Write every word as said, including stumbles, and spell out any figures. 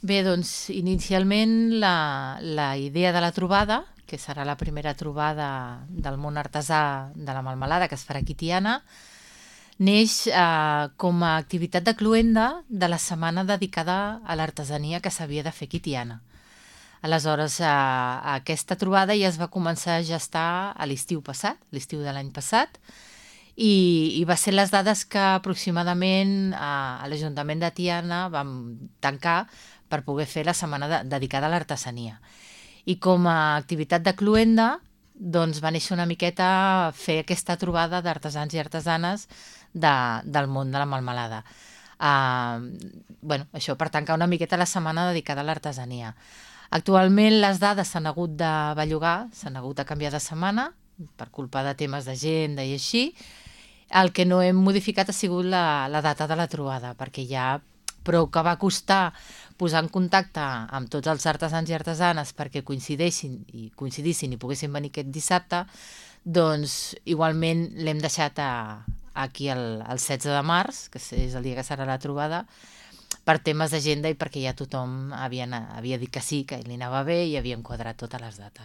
Bé, doncs, inicialment la, la idea de la trobada, que serà la primera trobada del món artesà de la melmelada que es farà aquí a Tiana, neix eh, com a activitat de cloenda de la setmana dedicada a l'artesania que s'havia de fer aquí a Tiana. Aleshores, eh, aquesta trobada ja es va començar a gestar a l'estiu passat, l'estiu de l'any passat, i, i va ser les dades que aproximadament eh, a l'Ajuntament de Tiana vam tancar per poder fer la setmana de, dedicada a l'artesania. I com a activitat de cloenda, doncs va néixer una miqueta fer aquesta trobada d'artesans i artesanes de, del món de la melmelada. Uh, bueno, això per tancar una miqueta la setmana dedicada a l'artesania. Actualment les dades s'han hagut de bellugar, s'han hagut de canviar de setmana per culpa de temes d'agenda i així. El que no hem modificat ha sigut la, la data de la trobada, perquè ja prou que va costar posar en contacte amb tots els artesans i artesanes perquè coincidissin i coincidissin i poguessin venir aquest dissabte, doncs igualment l'hem deixat a, aquí el, el setze de març, que és el dia que serà la trobada, per temes d'agenda i perquè ja tothom havia, havia dit que sí, que li anava bé i havia enquadrat totes les dates.